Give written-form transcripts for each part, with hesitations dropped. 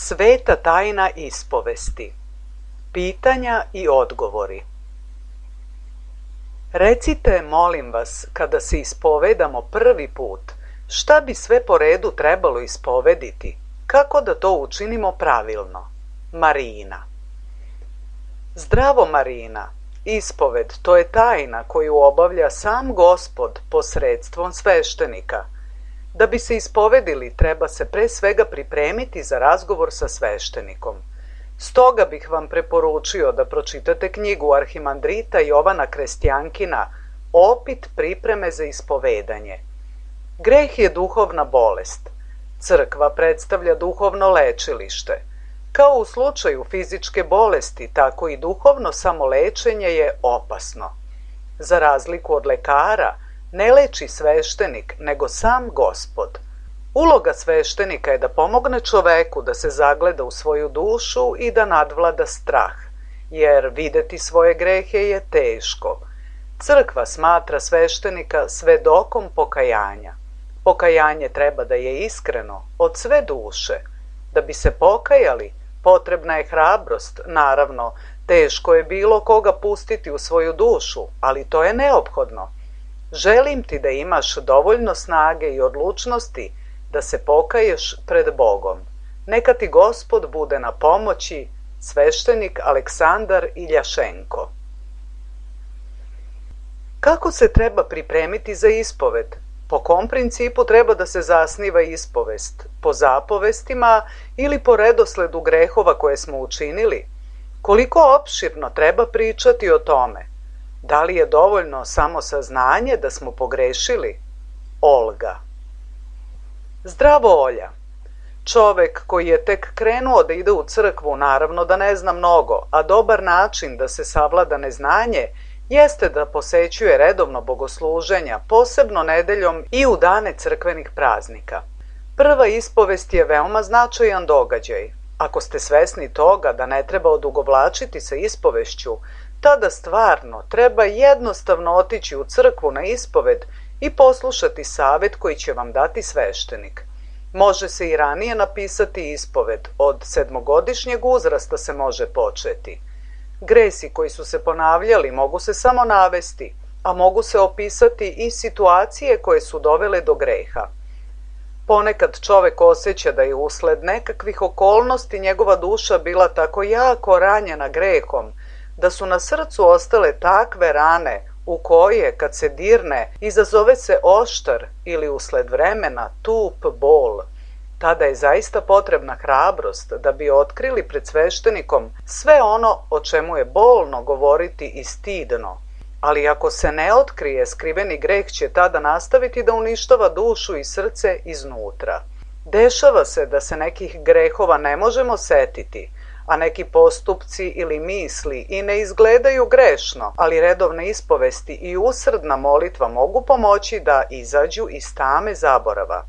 Sveta tajna ispovesti. Pitanja i odgovori. Recite, molim vas, kada se ispovedamo prvi put, šta bi sve po redu trebalo ispovediti? Kako da to učinimo pravilno? Marina. Zdravo, Marina. Ispoved, to je tajna koju obavlja sam Gospod posredstvom sveštenika. Da bi se ispovedili, treba se pre svega pripremiti za razgovor sa sveštenikom. Stoga bih vam preporučio da pročitate knjigu arhimandrita Jovana Krestjankina Opit pripreme za ispovedanje. Greh je duhovna bolest. Crkva predstavlja duhovno lečilište. Kao u slučaju fizičke bolesti, tako i duhovno samolečenje je opasno. Za razliku od lekara, ne leči sveštenik, nego sam Gospod. Uloga sveštenika je da pomogne čoveku da se zagleda u svoju dušu i da nadvlada strah, jer videti svoje grehe je teško. Crkva smatra sveštenika svedokom pokajanja. Pokajanje treba da je iskreno, od sve duše. Da bi se pokajali, potrebna je hrabrost, naravno, teško je bilo koga pustiti u svoju dušu, ali to je neophodno. Želim ti da imaš dovoljno snage i odlučnosti da se pokaješ pred Bogom. Neka ti Gospod bude na pomoći. Sveštenik Aleksandar Iljašenko. Kako se treba pripremiti za ispoved? Po kom principu treba da se zasniva ispovest? Po zapovestima ili po redosledu grehova koje smo učinili? Koliko opširno treba pričati o tome? Da li je dovoljno samo saznanje da smo pogrešili? Olga. Zdravo, Olja. Čovek koji je tek krenuo da ide u crkvu naravno da ne zna mnogo, a dobar način da se savlada neznanje jeste da posećuje redovno bogosluženja, posebno nedeljom i u dane crkvenih praznika. Prva ispovest je veoma značajan događaj. Ako ste svesni toga da ne treba odugovlačiti sa ispovešću, tada stvarno treba jednostavno otići u crkvu na ispoved i poslušati savet koji će vam dati sveštenik. Može se i ranije napisati ispoved, od 7-godišnjeg uzrasta se može početi. Gresi koji su se ponavljali mogu se samo navesti, a mogu se opisati i situacije koje su dovele do greha. Ponekad čovek osjeća da je usled nekakvih okolnosti njegova duša bila tako jako ranjena grehom, da su na srcu ostale takve rane u koje, kad se dirne, izazove se oštar ili usled vremena tup bol. Tada je zaista potrebna hrabrost da bi otkrili pred sveštenikom sve ono o čemu je bolno govoriti i stidno. Ali ako se ne otkrije, skriveni greh će tada nastaviti da uništava dušu i srce iznutra. Dešava se da se nekih grehova ne možemo setiti, a neki postupci ili misli i ne izgledaju grešno, ali redovne ispovesti i usrdna molitva mogu pomoći da izađu iz tame zaborava.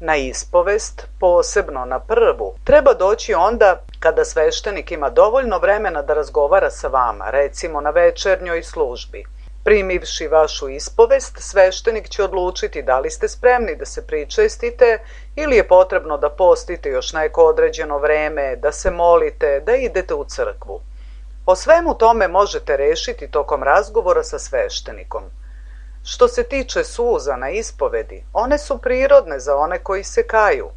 Na ispovest, posebno na prvu, treba doći onda kada sveštenik ima dovoljno vremena da razgovara sa vama, recimo na večernjoj službi. Primivši vašu ispovest, sveštenik će odlučiti da li ste spremni da se pričestite ili je potrebno da postite još neko određeno vreme, da se molite, da idete u crkvu. O svemu tome možete rešiti tokom razgovora sa sveštenikom. Što se tiče suza na ispovedi, one su prirodne za one koji se kaju.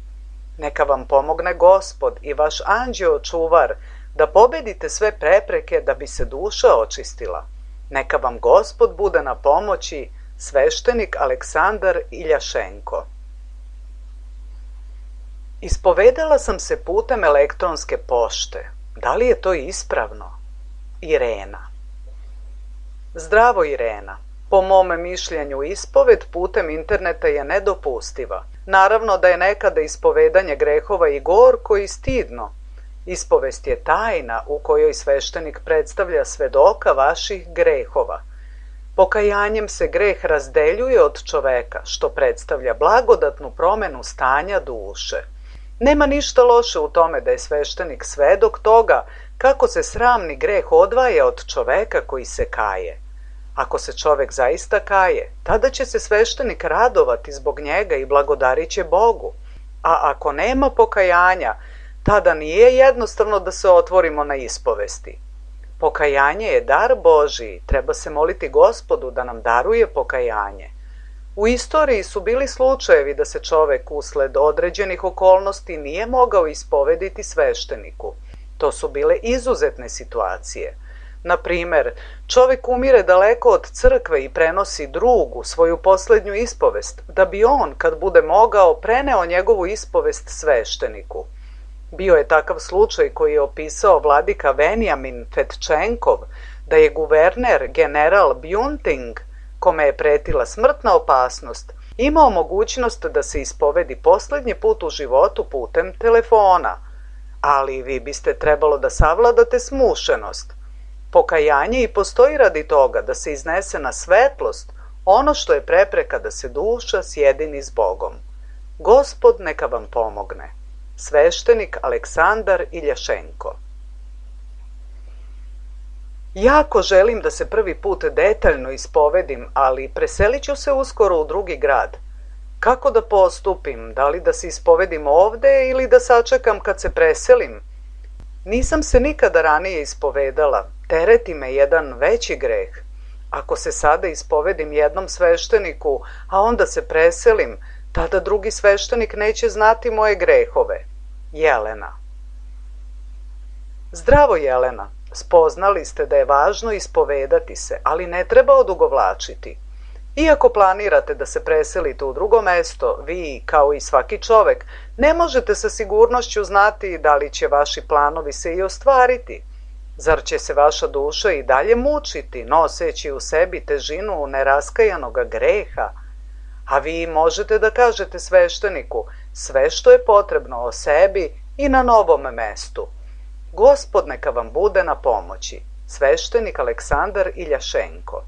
Neka vam pomogne Gospod i vaš anđeo čuvar da pobedite sve prepreke da bi se duša očistila. Neka vam Gospod bude na pomoći. Sveštenik Aleksandar Iljašenko. Ispovedala sam se putem elektronske pošte. Da li je to ispravno? Irena. Zdravo, Irena. Po mome mišljenju, ispoved putem interneta je nedopustiva. Naravno da je nekada ispovedanje grehova i gorko i stidno. Ispovest je tajna u kojoj sveštenik predstavlja svedoka vaših grehova. Pokajanjem se greh razdeljuje od čoveka, što predstavlja blagodatnu promenu stanja duše. Nema ništa loše u tome da je sveštenik svedok toga kako se sramni greh odvaja od čoveka koji se kaje. Ako se čovek zaista kaje, tada će se sveštenik radovati zbog njega i blagodarit će Bogu. A ako nema pokajanja, Tada nije jednostavno da se otvorimo na ispovesti. Pokajanje je dar Božiji, treba se moliti Gospodu da nam daruje pokajanje. U istoriji su bili slučajevi da se čovek usled određenih okolnosti nije mogao ispovediti svešteniku. To su bile izuzetne situacije. Na primer, čovek umire daleko od crkve i prenosi drugu, svoju posljednju ispovest, da bi on, kad bude mogao, preneo njegovu ispovest svešteniku. Bio je takav slučaj koji je opisao vladika Venjamin Fetčenkov, da je guverner general Bjunting, kome je pretila smrtna opasnost, imao mogućnost da se ispovedi posljednji put u životu putem telefona. Ali vi biste trebalo da savladate smušenost. Pokajanje i postoji radi toga da se iznese na svetlost ono što je prepreka da se duša sjedini s Bogom. Gospod neka vam pomogne. Sveštenik Aleksandar Iljašenko. Jako želim da se prvi put detaljno ispovedim, ali preselit ću se uskoro u drugi grad. Kako da postupim? Da li da se ispovedim ovde ili da sačekam kad se preselim? Nisam se nikada ranije ispovedala. Tereti me jedan veći greh. Ako se sada ispovedim jednom svešteniku, a onda se preselim, tada drugi sveštenik neće znati moje grehove. Jelena. Zdravo, Jelena. Spoznali ste da je važno ispovedati se, ali ne treba odugovlačiti. Iako planirate da se preselite u drugo mesto, vi, kao i svaki čovek, ne možete sa sigurnošću znati da li će vaši planovi se i ostvariti. Zar će se vaša duša i dalje mučiti, noseći u sebi težinu neraskajanoga greha? A vi možete da kažete svešteniku sve što je potrebno o sebi i na novom mestu. Gospod neka vam bude na pomoći. Sveštenik Aleksandar Iljašenko.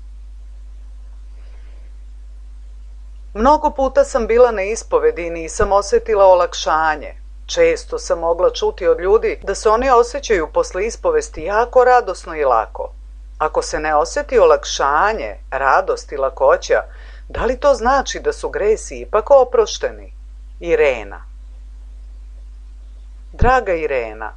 Mnogo puta sam bila na ispovedi i nisam osetila olakšanje. Često sam mogla čuti od ljudi da se oni osjećaju posle ispovesti jako radosno i lako. Ako se ne osjeti olakšanje, radost i lakoća, da li to znači da su gresi ipak oprošteni? Irena. Draga Irena,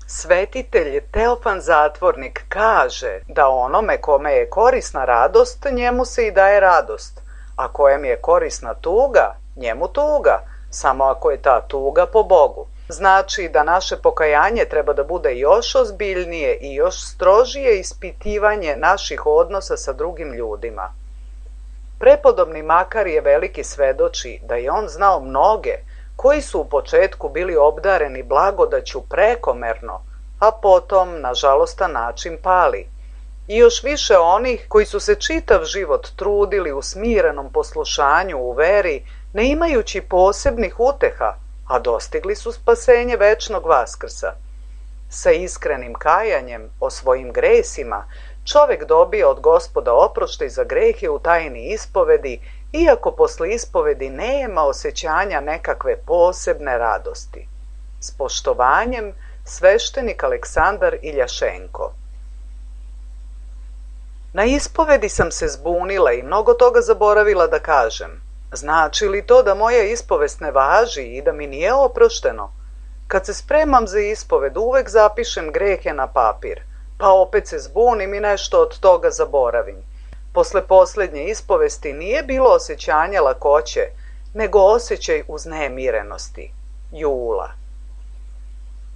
svetitelj Teofan Zatvornik kaže da onome kome je korisna radost, njemu se i daje radost, a kojem je korisna tuga, njemu tuga, samo ako je ta tuga po Bogu. Znači da naše pokajanje treba da bude još ozbiljnije i još strožije ispitivanje naših odnosa sa drugim ljudima. Prepodobni Makarije veliki svedoči da je on znao mnoge koji su u početku bili obdareni blagodaću prekomerno, a potom na žalostan način pali. I još više onih koji su se čitav život trudili u smirenom poslušanju u veri, ne imajući posebnih uteha, a dostigli su spasenje večnog vaskrsa. Sa iskrenim kajanjem o svojim gresima čovek dobija od Gospoda oproštaj za grehe u tajni ispovedi, iako posle ispovedi nema osjećanja nekakve posebne radosti. S poštovanjem, sveštenik Aleksandar Iljašenko. Na ispovedi sam se zbunila i mnogo toga zaboravila da kažem. Znači li to da moja ispovest ne važi i da mi nije oprošteno? Kad se spremam za ispoved, uvek zapišem grehe na papir, pa opet se zbunim i nešto od toga zaboravim. Posle posljednje ispovesti nije bilo osjećanja lakoće, nego osjećaj uznemirenosti. Jula.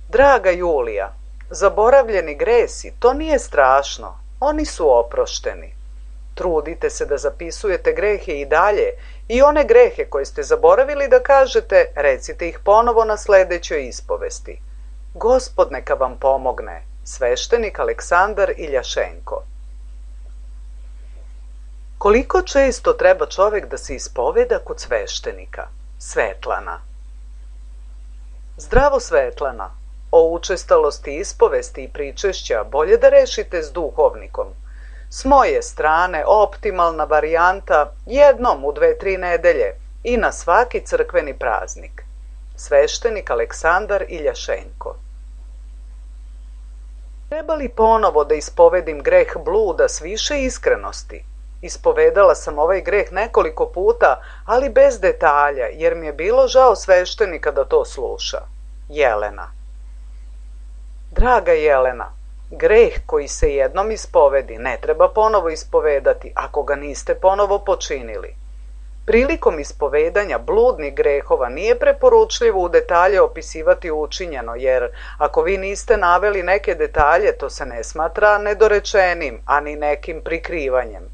Draga Julija, zaboravljeni gresi, to nije strašno, oni su oprošteni. Trudite se da zapisujete grehe i dalje i one grehe koje ste zaboravili da kažete, recite ih ponovo na sledećoj ispovesti. Gospod neka vam pomogne. Sveštenik Aleksandar Iljašenko. Koliko često treba čovek da se ispoveda kod sveštenika? Svetlana. Zdravo, Svetlana. O učestalosti ispovesti i pričešća bolje da rešite s duhovnikom. S moje strane optimalna varijanta jednom u 2-3 nedelje i na svaki crkveni praznik. Sveštenik Aleksandar Iljašenko. Treba li ponovo da ispovedim greh bluda s više iskrenosti? Ispovedala sam ovaj greh nekoliko puta, ali bez detalja, jer mi je bilo žao sveštenika da to sluša. Jelena. Draga Jelena, greh koji se jednom ispovedi ne treba ponovo ispovedati ako ga niste ponovo počinili. Prilikom ispovedanja bludnih grehova nije preporučljivo u detalje opisivati učinjeno, jer ako vi niste naveli neke detalje, to se ne smatra nedorečenim, ani nekim prikrivanjem.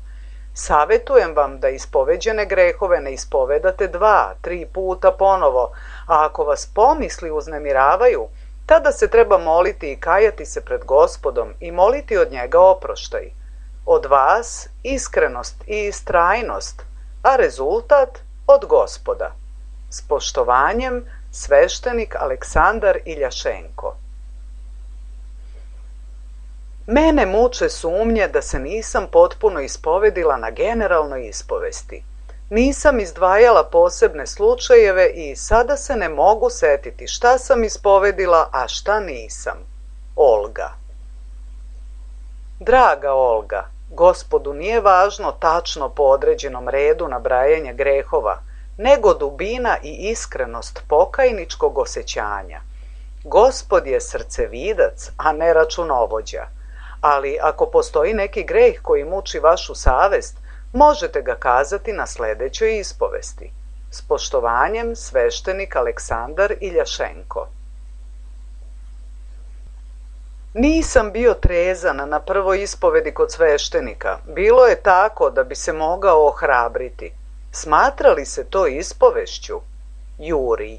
Savetujem vam da ispoveđene grehove ne ispovedate 2-3 puta ponovo, a ako vas pomisli uznemiravaju, tada se treba moliti i kajati se pred Gospodom i moliti od njega oproštaj. Od vas iskrenost i istrajnost, a rezultat od Gospoda. S poštovanjem, sveštenik Aleksandar Iljašenko. Mene muče sumnje da se nisam potpuno ispovedila na generalnoj ispovesti. Nisam izdvajala posebne slučajeve i sada se ne mogu setiti šta sam ispovedila, a šta nisam. Olga. Draga Olga, Gospodu nije važno tačno po određenom redu nabrajanja grehova, nego dubina i iskrenost pokajničkog osjećanja. Gospod je srcevidac, a ne računovođa. Ali ako postoji neki greh koji muči vašu savest, možete ga kazati na sledećoj ispovesti. S poštovanjem, sveštenik Aleksandar Iljašenko. Nisam bio trezan na prvoj ispovedi kod sveštenika. Bilo je tako da bi se mogao ohrabriti. Smatrali se to ispovešću? Jurij.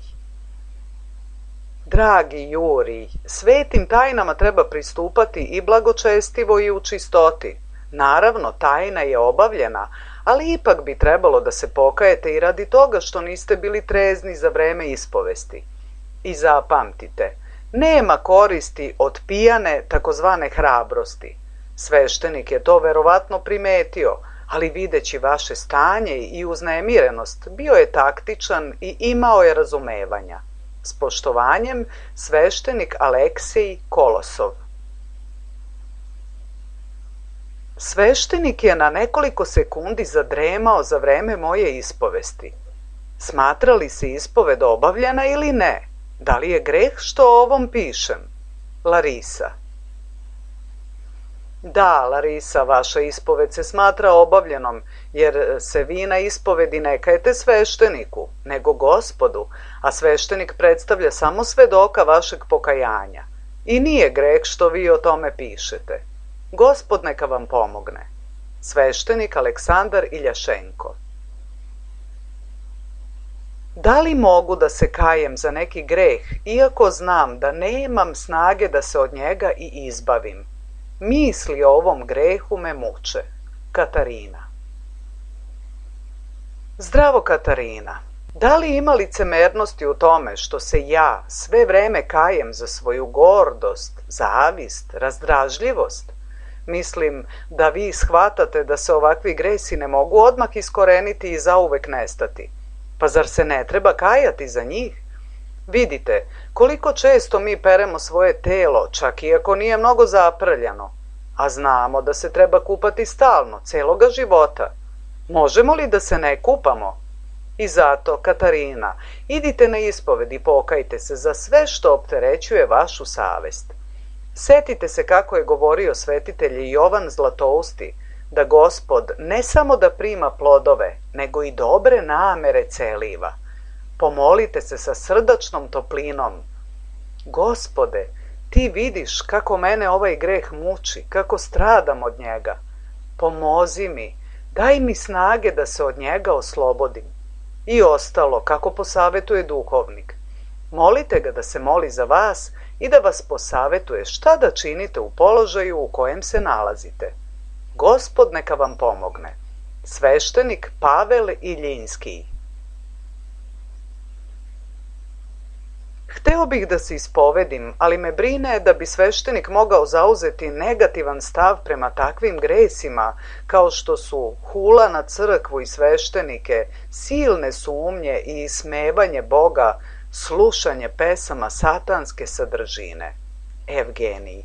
Dragi Jurij, svetim tajnama treba pristupati i blagočestivo i u čistoti. Naravno, tajna je obavljena, ali ipak bi trebalo da se pokajete i radi toga što niste bili trezni za vreme ispovesti. I zapamtite, nema koristi od pijane takozvane hrabrosti. Sveštenik je to verovatno primetio, ali videći vaše stanje i uznemirenost, bio je taktičan i imao je razumevanja. S poštovanjem, sveštenik Aleksej Kolosov. Sveštenik je na nekoliko sekundi zadremao za vreme moje ispovesti. Smatra li se ispoved obavljena ili ne? Da li je greh što o ovom pišem? Larisa. Da, Larisa, vaša ispoved se smatra obavljenom, jer se vi na ispovedi ne kajete svešteniku, nego Gospodu, a sveštenik predstavlja samo svedoka vašeg pokajanja. I nije greh što vi o tome pišete. Gospod neka vam pomogne. Sveštenik Aleksandar Iljašenko. Da li mogu da se kajem za neki greh, iako znam da nemam snage da se od njega i izbavim? Misli o ovom grehu me muče. Katarina. Zdravo, Katarina. Da li ima licemernosti u tome što se ja sve vreme kajem za svoju gordost, zavist, razdražljivost? Mislim da vi shvatate da se ovakvi gresi ne mogu odmah iskoreniti i zauvek nestati. Pa zar se ne treba kajati za njih? Vidite, koliko često mi peremo svoje telo, čak i ako nije mnogo zaprljano, a znamo da se treba kupati stalno, celoga života. Možemo li da se ne kupamo? I zato, Katarina, idite na ispoved i pokajte se za sve što opterećuje vašu savest. Setite se kako je govorio svetitelj Jovan Zlatousti, da Gospod ne samo da prima plodove, nego i dobre namere celiva. Pomolite se sa srdačnom toplinom. Gospode, ti vidiš kako mene ovaj greh muči, kako stradam od njega. Pomozi mi, daj mi snage da se od njega oslobodim. I ostalo, kako posavetuje duhovnik. Molite ga da se moli za vas i da vas posavetuje šta da činite u položaju u kojem se nalazite. Gospod neka vam pomogne. Sveštenik Pavel Iljinski. Hteo bih da se ispovedim, ali me brine da bi sveštenik mogao zauzeti negativan stav prema takvim gresima, kao što su hula na crkvu i sveštenike, silne sumnje i ismevanje Boga, slušanje pesama satanske sadržine. Evgenij.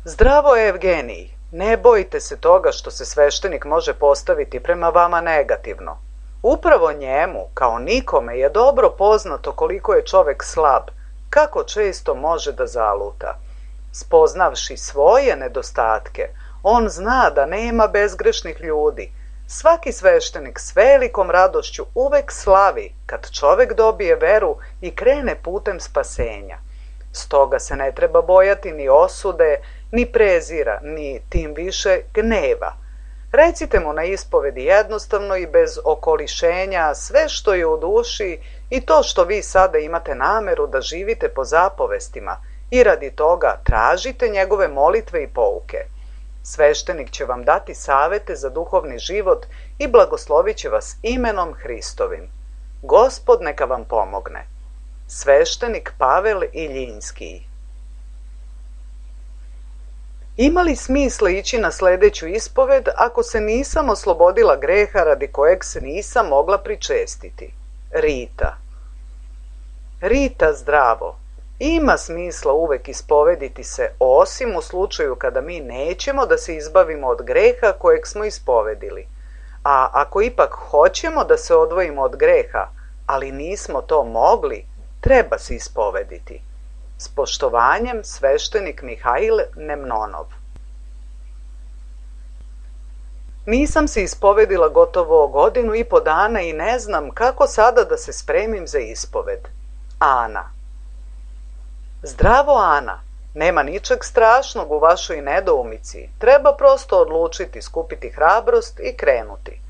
Zdravo, Evgenij. Ne bojte se toga što se sveštenik može postaviti prema vama negativno. Upravo njemu, kao nikome, je dobro poznato koliko je čovek slab, kako često može da zaluta. Spoznavši svoje nedostatke, on zna da nema bezgrešnih ljudi. Svaki sveštenik s velikom radošću uvek slavi kad čovek dobije veru i krene putem spasenja. Stoga se ne treba bojati ni osude, ni prezira, ni tim više gneva. Recite mu na ispovedi jednostavno i bez okolišenja sve što je u duši i to što vi sada imate nameru da živite po zapovestima i radi toga tražite njegove molitve i pouke. Sveštenik će vam dati savete za duhovni život i blagoslovit će vas imenom Hristovim. Gospod neka vam pomogne. Sveštenik Pavel Iljinski. Ima li smisla ići na sledeću ispoved ako se nisam oslobodila greha radi kojeg se nisam mogla pričestiti? Rita. Rita, zdravo. Ima smisla uvek ispovediti se, osim u slučaju kada mi nećemo da se izbavimo od greha kojeg smo ispovedili. A ako ipak hoćemo da se odvojimo od greha, ali nismo to mogli, treba se ispovediti. S poštovanjem, sveštenik Mihail Nemnonov. Nisam se ispovedila gotovo 1,5 godina i ne znam kako sada da se spremim za ispoved. Ana. Zdravo, Ana. Nema ničeg strašnog u vašoj nedoumici. Treba prosto odlučiti, skupiti hrabrost i krenuti.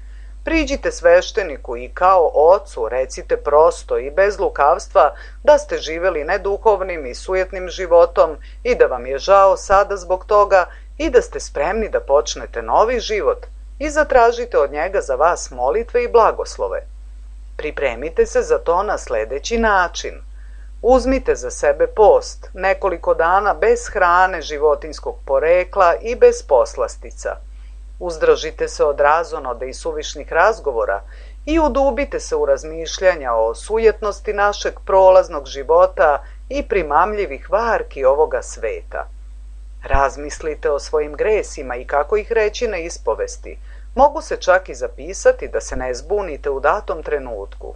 Priđite svešteniku i kao ocu recite prosto i bez lukavstva da ste živeli neduhovnim i sujetnim životom i da vam je žao sada zbog toga i da ste spremni da počnete novi život i zatražite od njega za vas molitve i blagoslove. Pripremite se za to na sledeći način. Uzmite za sebe post, nekoliko dana bez hrane životinjskog porekla i bez poslastica. Uzdržite se od razonoda i suvišnih razgovora i udubite se u razmišljanja o sujetnosti našeg prolaznog života i primamljivih varki ovoga sveta. Razmislite o svojim gresima i kako ih reći na ispovesti. Mogu se čak i zapisati da se ne zbunite u datom trenutku.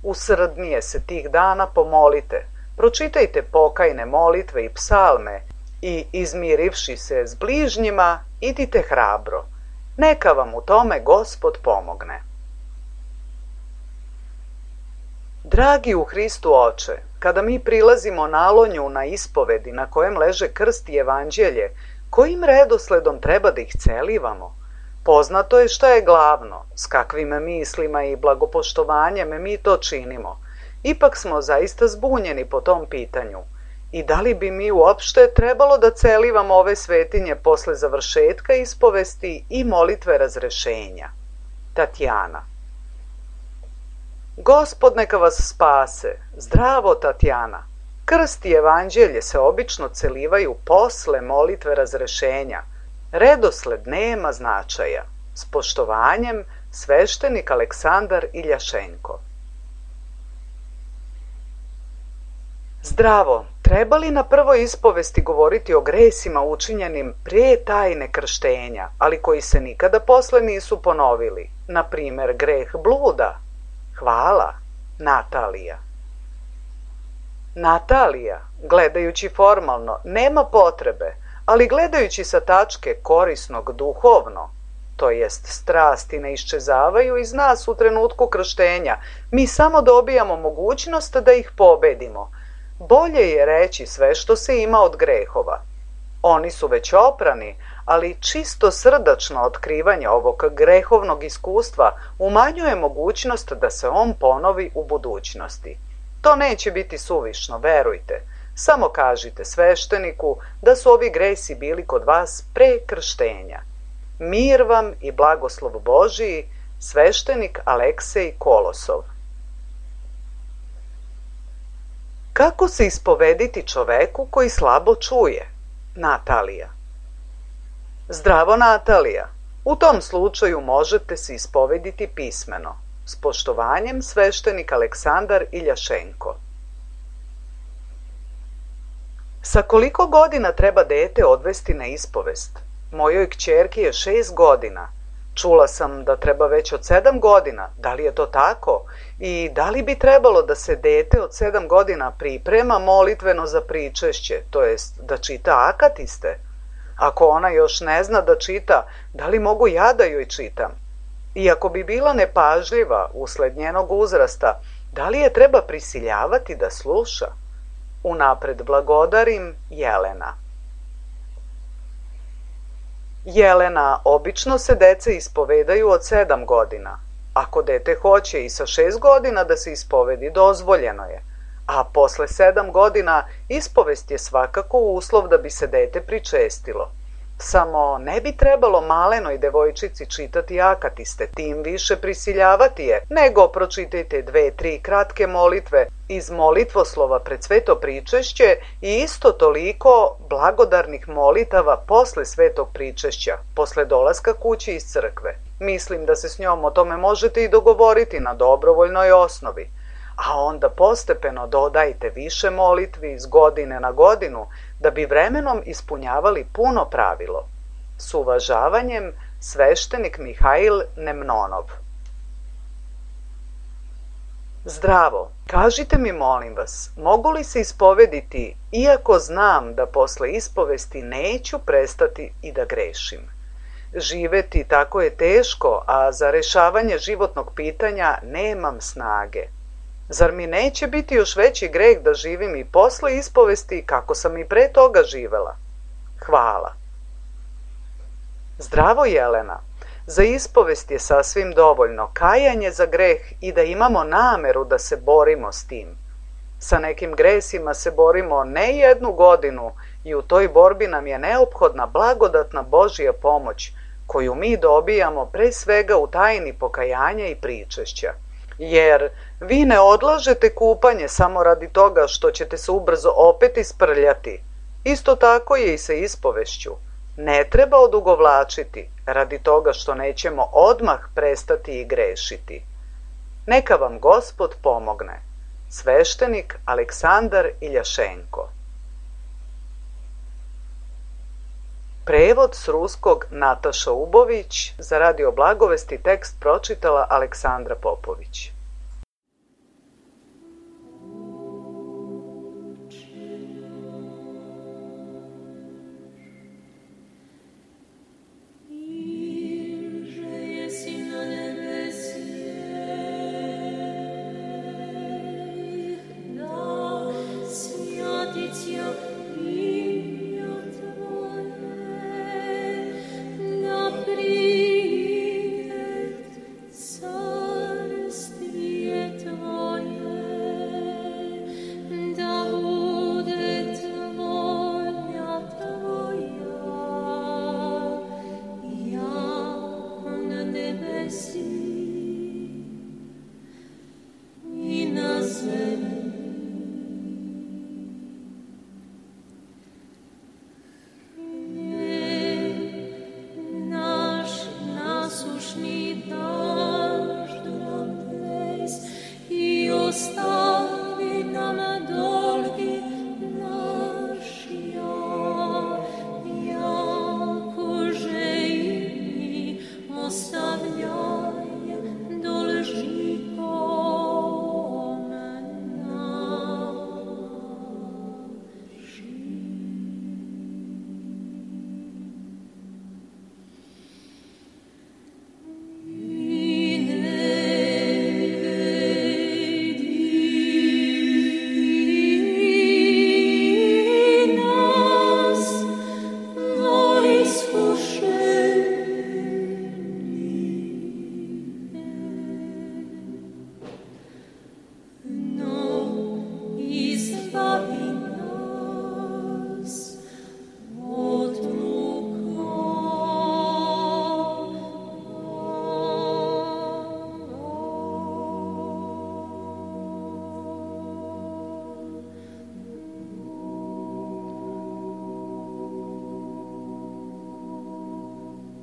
Usrdnije se tih dana pomolite, pročitajte pokajne molitve i psalme i izmirivši se s bližnjima, idite hrabro. Neka vam u tome Gospod pomogne. Dragi u Hristu oče, kada mi prilazimo nalonju na ispovedi na kojem leže krst i evanđelje, kojim redosledom treba da ih celivamo? Poznato je šta je glavno, s kakvim mislima i blagopoštovanjem mi to činimo. Ipak smo zaista zbunjeni po tom pitanju. I da li bi mi uopšte trebalo da celivamo ove svetinje posle završetka ispovesti i molitve razrešenja? Tatjana. Gospod neka vas spase. Zdravo, Tatjana. Krst i evanđelje se obično celivaju posle molitve razrešenja. Redosled nema značaja. S poštovanjem, sveštenik Aleksandar Iljašenko. Zdravo, treba li na prvoj ispovesti govoriti o gresima učinjenim pre tajne krštenja, ali koji se nikada posle nisu ponovili? Na primer, greh bluda? Hvala, Natalija. Natalija, gledajući formalno, nema potrebe, ali gledajući sa tačke korisnog duhovno, to jest strasti ne iščezavaju iz nas u trenutku krštenja, mi samo dobijamo mogućnost da ih pobedimo. Bolje je reći sve što se ima od grehova. Oni su već oprani, ali čisto srdačno otkrivanje ovog grehovnog iskustva umanjuje mogućnost da se on ponovi u budućnosti. To neće biti suvišno, verujte. Samo kažite svešteniku da su ovi gresi bili kod vas pre krštenja. Mir vam i blagoslov Božiji, sveštenik Aleksej Kolosov. Kako se ispovediti čoveku koji slabo čuje? Natalija. Zdravo, Natalija. U tom slučaju možete se ispovediti pismeno. S poštovanjem, sveštenik Aleksandar Iljašenko. Sa koliko godina treba dete odvesti na ispovest? Mojoj kćerki je 6 godina. Čula sam da treba već od 7 godina. Da li je to tako? I da li bi trebalo da se dete od 7 godina priprema molitveno za pričešće, to jest da čita akatiste? Ako ona još ne zna da čita, da li mogu ja da joj čitam? I ako bi bila nepažljiva usled njenog uzrasta, da li je treba prisiljavati da sluša? Unapred blagodarim, Jelena. Jelena, obično se deca ispovedaju od 7 godina. Ako dete hoće i sa 6 godina da se ispovedi, dozvoljeno je. A posle 7 godina ispovest je svakako uslov da bi se dete pričestilo. Samo ne bi trebalo malenoj devojčici čitati akatiste, tim više prisiljavati je, nego pročitajte 2-3 kratke molitve iz molitvoslova pred sveto pričešće i isto toliko blagodarnih molitava posle svetog pričešća, posle dolaska kući iz crkve. Mislim da se s njom o tome možete i dogovoriti na dobrovoljnoj osnovi. A onda postepeno dodajte više molitvi iz godine na godinu da bi vremenom ispunjavali puno pravilo. S uvažavanjem, sveštenik Mihail Nemnonov. Zdravo, kažite mi molim vas, mogu li se ispovediti iako znam da posle ispovesti neću prestati i da grešim? Živeti tako je teško, a za rešavanje životnog pitanja nemam snage. Zar mi neće biti još veći greh da živim i posle ispovesti kako sam i pre toga živela? Hvala. Zdravo, Jelena. Za ispovest je sasvim dovoljno kajanje za greh i da imamo nameru da se borimo s tim. Sa nekim gresima se borimo ne 1 godinu i u toj borbi nam je neophodna blagodatna Božja pomoć koju mi dobijamo pre svega u tajni pokajanja i pričešća. Jer vi ne odlažete kupanje samo radi toga što ćete se ubrzo opet isprljati. Isto tako je i sa ispovešću. Ne treba odugovlačiti radi toga što nećemo odmah prestati i grešiti. Neka vam Gospod pomogne. Sveštenik Aleksandar Iljašenko. Prevod s ruskog Nataša Ubović, za Radio Blagovesti tekst pročitala Aleksandra Popović.